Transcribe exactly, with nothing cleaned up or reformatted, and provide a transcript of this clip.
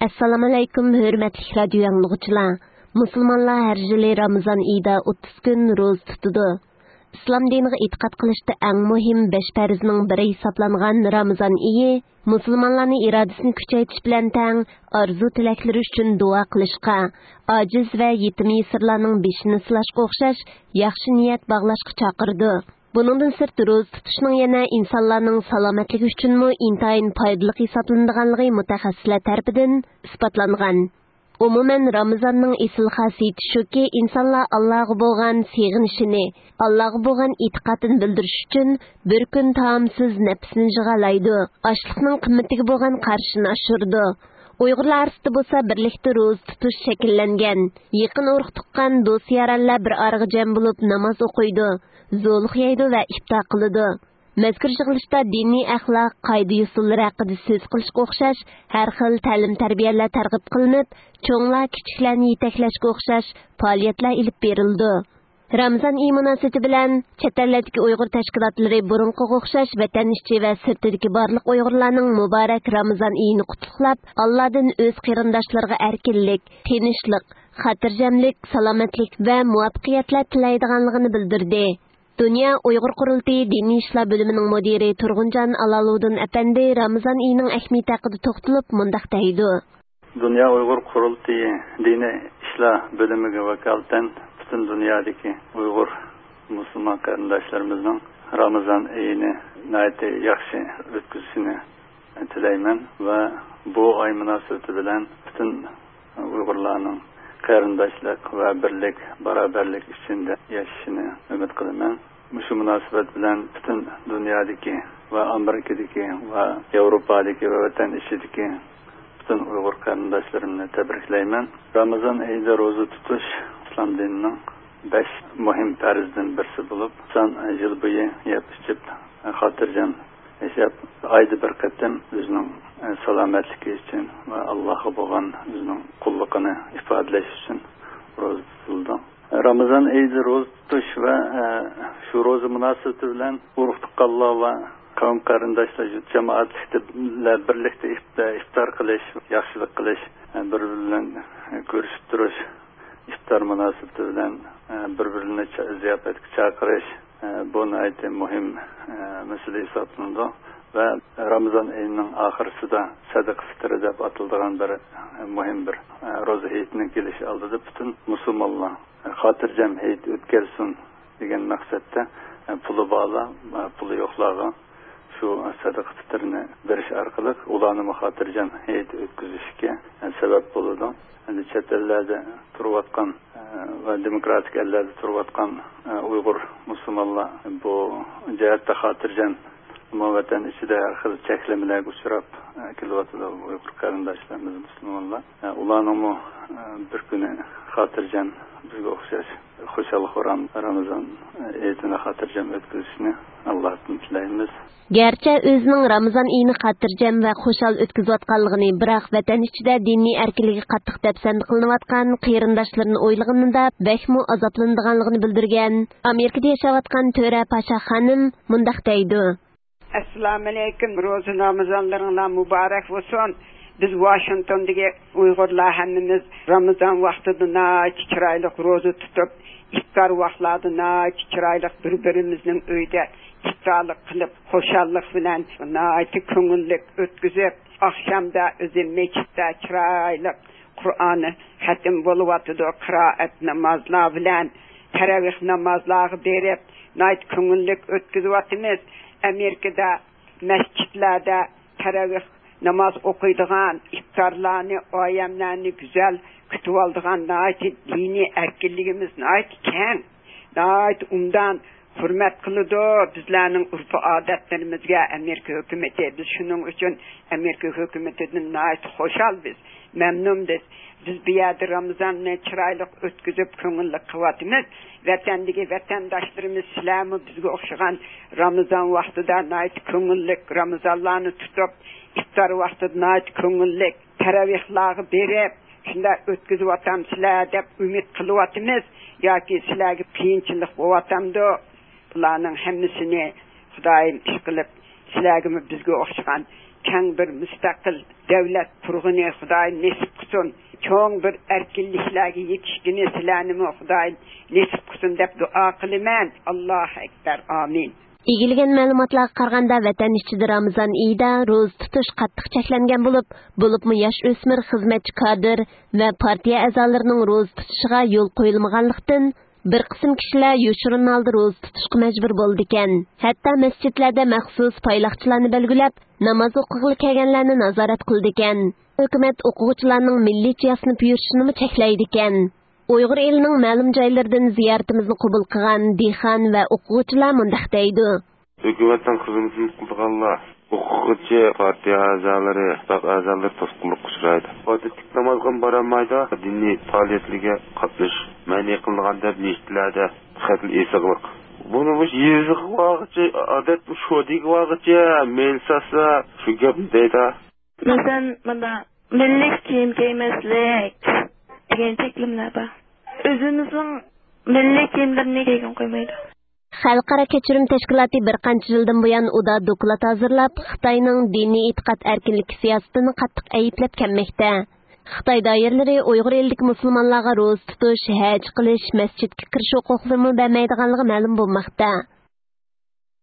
ئەسسالامۇئەلەيكۇم، ھۆرمەتلىك رادىيو ئاڭلىغۇچىلار! مۇسۇلمانلار ھەر يىلى رامىزان ئېيىدا ئوتتۇز كۈن روزا تۇتىدۇ. ئىسلام دىنىغا ئېتىقاد قىلىشتا ئەڭ مۇھىم بەش پەرزنىڭ بىرى ھېسابلانغان رامىزان ئېيى مۇسۇلمانلارنى ئىرادىسىنى كۈچەيتىش بىلەن تەڭ، ئارزۇ-تىلەكلىرى ئۈچۈن دۇئا قىلىشقا، ئاجىز ۋە يېتىم-يېسىرلارنىڭ بېشىنى سىلاشقا ئوخشاش ياخشى نىيەت باغلاشقا چاقىرىدۇ. بۇنىڭدىن سىرت، روزا تۇتۇشنىڭ يەنە ئىنسانلارنىڭ سالامەتلىكى ئۈچۈنمۇ ئىنتايىن پايدىلىق ھېسابلىنىدىغانلىقى مۇتەخەسسىسلەر تەرىپىدىن ئىسپاتلانغان. ئومۇمەن، رامىزاننىڭ ئېسىل خاسىيىتى شۇكى، ئىنسانلار ئاللاغا بولغان سېغىنىشىنى، ئاللاغا بولغان ئېتىقادىنى بىلدۈرۈش ئۈچۈن بىر كۈن تائامسىز نەپسىنى جىغالايدۇ، ئاشلىقنىڭ قىممىتىگە بولغان قارىشىنى ئاشۇرىدۇ. ئۇيغۇرلار ئارىسىدا بولسا بىرلىكتە روزا تۇتۇش شەكىللەنگەن. يېقىن ئۇرۇق-تۇغقان، دوست-يارانلار بىر ئارىغا جەم بولۇپ ناماز ئوقۇيدۇ، زولۇق يەيدۇ ۋە ئىپتار قىلىدۇ. مەزكۇر يىغىلىشتا دىنىي ئەخلاق، قائىدە-يۇسۇنلىرى ھەققىدە سۆز قىلىشقا ئوخشاش ھەر خىل تەلىم-تەربىيەلەر تەرغىب قىلىنىپ، چوڭلار كىچىكلەرنى يېتەكلەشكە ئوخشاش پائالىيەتلەر ئېلىپ بېرىلىدۇ. رامىزان ئېيى مۇناسىۋىتى بىلەن چەت ئەللەردىكى ئۇيغۇر تەشكىلاتلىرى بۇرۇنقىغا ئوخشاش ۋەتەن ئىچى ۋە سىرتىدىكى بارلىق ئۇيغۇرلارنىڭ مۇبارەك رامىزان ئېيىنى قۇتلۇقلاپ، ئاللادىن ئۆز قېرىنداشلىرىغا ئەركىنلىك، تىنچلىق، خاتىرجەملىك، سالامەتلىك ۋە مۇۋەپپەقىيەتلەر تىلەيدىغانلىقىنى بىلدۈردى. دۇنيا ئۇيغۇر قۇرۇلتىيى دىنىي ئىشلار بۆلۈمىنىڭ مۇدىرى تۇرغۇنجان ئالالۇدىن ئەپەندى رامىزان ئېيىنىڭ ئەھمىيىتى ھەققىدە توختىلىپ مۇنداق دەيدۇ. دۇنيا ئۇيغۇر قۇرۇلتىيى دىنىي ئىشلار بۆلۈمىگە ۋاكالىتەن پۈتۈن دۇنيادىكى ئۇيغۇر مۇسۇلمان قېرىنداشلىرىمىزنىڭ رامىزان ئېيىنى ناھايىتى ياخشى ئۆتكۈزۈشىنى تىلەيمەن ۋە بۇ ئاي مۇناسىۋىتى بىلەن پۈتۈن ئۇيغۇرلارنىڭ قېرىنداشلىق ۋە بىرلىك، باراۋەرلىك ئىچىدە ياشىشىنى ئۈمىد قىلىمەن. مۇشۇ مۇناسىۋەت بىلەن پۈتۈن دۇنيادىكى ۋە ئامېرىكىدىكى ۋە ياۋروپادىكى ۋە ۋەتەن ئىچىدىكى پۈتۈن ئۇيغۇر قېرىنداشلىرىمنى تەبرىكلەيمەن. رامىزان ئېيىدا روزا تۇتۇش ئىسلام دىنىنىڭ بەش مۇھىم پەرزىدىن بىرسى بولۇپ، ئىنسان يىل بويى يەپ ئىچىپ، خاتىرجەم ياشاپ، ئايدا بىر قېتىم ئۆزىنىڭ، ئە، سالامەتلىكى ئۈچۈن ۋە ئاللاھقا بولغان ئۆزىنىڭ قۇللۇقىنى ئىپادىلەش ئۈچۈن روزا تۇتۇلىدۇ. رامىزان ئېيىدا روزا تۇتۇش ۋە، ئە، شۇ روزا مۇناسىۋىتى بىلەن ئۇرۇق-تۇغقانلار ۋە قەۋم-قېرىنداشلار، يۇرت جامائەتلىكتە بىللە بىرلىكتە ئىپ-، ئىپتار قىلىش، ياخشىلىق قىلىش، ئە، بىر-بىرى بىلەن كۆرۈشۈپ تۇرۇش، ئىپتار مۇناسىۋىتى بىلەن، ئە، بىر-بىرىنى چا-، زىياپەتكە چاقىرىش، ئە، بۇ ناھايىتى مۇھىم، ئە، مەسىلە ھېسابلىنىدۇ ۋە رامىزان ئېيىنىڭ ئاخىرسىدا سەدىقە فىترى دەپ ئاتىلىدىغان بىر، ئە، مۇھىم بىر، ئە، روزا ھېيتنىڭ كېلىشى ئالدىدا پۈتۈن مۇسۇلمانلار، ئە، خاتىرجەم ھېيت ئۆتكەرسۇن دېگەن مەقسەتتە، ئە، پۇلى بارلار، ئە، پۇلى يوقلارغا شۇ سەدىقە پىتىرنى بېرىش ئارقىلىق ئۇلارنىمۇ خاتىرجەم ھېيت ئۆتكۈزۈشكە سەۋەب بولىدۇ. ئەمدى چەت ئەللەردە تۇرۇۋاتقان، ئە، ۋە دېموكراتىك ئەللەردە تۇرۇۋاتقان، ئە، ئۇيغۇر مۇسۇلمانلار بۇ جەھەتتە خاتىرجەم، ئەمما ۋەتەن ئىچىدە ھەر خىل چەكلىمىلەرگە ئۇچراپ، ئە، كېلىۋاتىدۇ ئۇيغۇر قېرىنداشلىرىمىز مۇسۇلمانلار. ئە، ئۇلارنىڭمۇ، ئە، بىر كۈنى خاتىرجەم، بىزگە ئوخشاش خۇشال-خۇرام رامىزان ھېيتىنى خاتىرجەم ئۆتكۈزۈشىنى ئاللاھتىن تىلەيمىز. گەرچە ئۆزىنىڭ رامىزان ئېيىنى خاتىرجەم ۋە خۇشال ئۆتكۈزۈۋاتقانلىقىنى، بىراق ۋەتەن ئىچىدە دىنىي ئەركىنلىكى قاتتىق دەپسەندە قىلىنىۋاتقان قېرىنداشلىرىنى ئويلىغىنىدا بەكمۇ ئازابلىنىدىغانلىقىنى بىلدۈرگەن ئامېرىكىدا ياشاۋاتقان تۆرە پاشا خانىم مۇنداق دەيدۇ. ئەسسالامۇئەلەيكۇم، روزا رامىزانلىرىڭلار مۇبارەك بولسۇن. بىز ۋاشىنگتوندىكى ئۇيغۇرلار ھەممىمىز رامىزان ۋاقتىدا ناھايىتى چىرايلىق روزا تۇتۇپ، ئىپتار ۋاقلاردا ناھايىتى چىرايلىق بىر-بىرىمىزنىڭ ئۆيىدە ئىپتارلىق قىلىپ، خۇشاللىق بىلەن ناھايىتى كۆڭۈللۈك ئۆتكۈزۈپ، ئاخشامدا ئۆزى مەسچىتتە چىرايلىق قۇرئان خەتىم بولۇۋاتىدۇ، قىرائەت نامازلار بىلەن تەرەۋىھ نامازلارغا بېرىپ، ناھايىتى كۆڭۈللۈك ئۆتكۈزۈۋاتىمىز. ئامېرىكىدا مەسچىتلەردە تەرەۋىھ ناماز ئوقۇيدىغان، ئىپتارلارنى، ئايەملەرنى گۈزەل كۈتۈۋالىدىغان ناھايىتى دىنىي ئەركىنلىكىمىز ناھايىتى كەڭ، ناھايىتى ئوبدان ھۆرمەت قىلىدۇ بىزلەرنىڭ ئۆرپ-ئادەتلىرىمىزگە ئامېرىكا ھۆكۈمىتى. بىز شۇنىڭ ئۈچۈن ئامېرىكا ھۆكۈمىتىدىن ناھايىتى خۇشال بىز، مەمنۇن بىز. بىز بۇ يەردە رامىزاننى چىرايلىق ئۆتكۈزۈپ، كۆڭۈللۈك قىلىۋاتىمىز. ۋەتەندىكى ۋەتەنداشلىرىمىز، سىلەرمۇ بىزگە ئوخشىغان رامىزان ۋاقتىدا ناھايىتى كۆڭۈللۈك رامىزانلارنى تۇتۇپ، ئىپتار ۋاقتىدا ناھايىتى كۆڭۈللۈك تەرەۋىھلارغا بېرىپ، شۇنداق ئۆتكۈزۈۋاتامسىلەر دەپ ئۈمىد قىلىۋاتىمىز. ياكى سىلەرگە قىيىنچىلىق بولۇۋاتامدۇ؟ بۇلارنىڭ ھەممىسىنى خۇدايىم ئىشقىلىپ، سىلەرگىمۇ بىزگە ئوخشىغان كەڭ بىر مۇستەقىل دۆلەت قۇرغىنى خۇدايىم نېسىپ قىلسۇن. چوڭ بىر ئەركىنلىكلەرگە يېتىشكىنى سىلەرنىمۇ خۇدايىم نېسىپ قىلسۇن دەپ دۇئا قىلىمەن. ئاللاھۇ ئەكبەر. ئامىن. ئىگىلىگەن مەلۇماتلارغا قارىغاندا، ۋەتەن ئىچىدە رامىزان ئېيىدا روزا تۇتۇش قاتتىق چەكلەنگەن بولۇپ، بولۇپمۇ ياش ئۆسمۈر، خىزمەتچى كادىر ۋە پارتىيە ئەزالىرىنىڭ روزا تۇتۇشىغا يول قويۇلمىغانلىقتىن، بىر قىسىم كىشىلەر يوشۇرۇن ھالدا روزا تۇتۇشقا مەجبۇر بولىدىكەن. ھەتتا مەسچىتلەردە مەخسۇس پايلاقچىلارنى بەلگىلەپ، ناماز ئوقۇغىلى كەلگەنلەرنى نازارەت قىلىدىكەن. ھۆكۈمەت ئوقۇغۇچىلارنىڭ مىللىيچە ياسىنىپ يۈرۈشىنىمۇ چەكلەيدىكەن. ئۇيغۇر ئېلىنىڭ مەلۇم جايلىرىدىن زىيارىتىمىزنى قوبۇل قىلغان دېھقان ۋە ئوقۇغۇچىلار مۇنداق دەيدۇ. ھۆكۈمەتنىڭ خىزمىتىنى قىلىدىغانلار، ئوقۇغۇچى، پارتىيە ئەزالىرى، خەلق ئەزالىرى توسقۇنلۇققا ئۇچرايدۇ. ئادەتتىكى نامازغا بارالمايدۇ. دىنىي پائالىيەتلەرگە قاتنىشىش مەنئى قىلىنغان دەپ مەسچىتلەردە خېلى ئېسىقلىق. بۇنى مۇشۇ يېزىغا بارغۇچە، ئادەت شودىگە بارغۇچە مەيلى سالسا، شۇ گەپنى دەيدۇ. مەسىلەن، مۇنداق مىللىي كىيىم كىيمەسلىك دېگەن چەكلىمىلەر بار. ئۆزىمىزنىڭ مىللىي كىيىملىرىنى كىيگىلى قويمايدۇ. خەلقئارا كەچۈرۈم تەشكىلاتى بىر قانچە يىلدىن بۇيان ئۇدا دوكلات ھازىرلاپ، خىتاينىڭ دىنىي ئېتىقاد ئەركىنلىكى سىياسىتىنى قاتتىق ئەيىبلەپ كەلمەكتە. خىتاي دائىرىلىرى ئۇيغۇر ئېلىدىكى مۇسۇلمانلارغا روزا تۇتۇش، ھەج قىلىش، مەسچىتكە كىرىش ھوقۇقلىرىمۇ بەرمەيدىغانلىقى مەلۇم بولماقتا.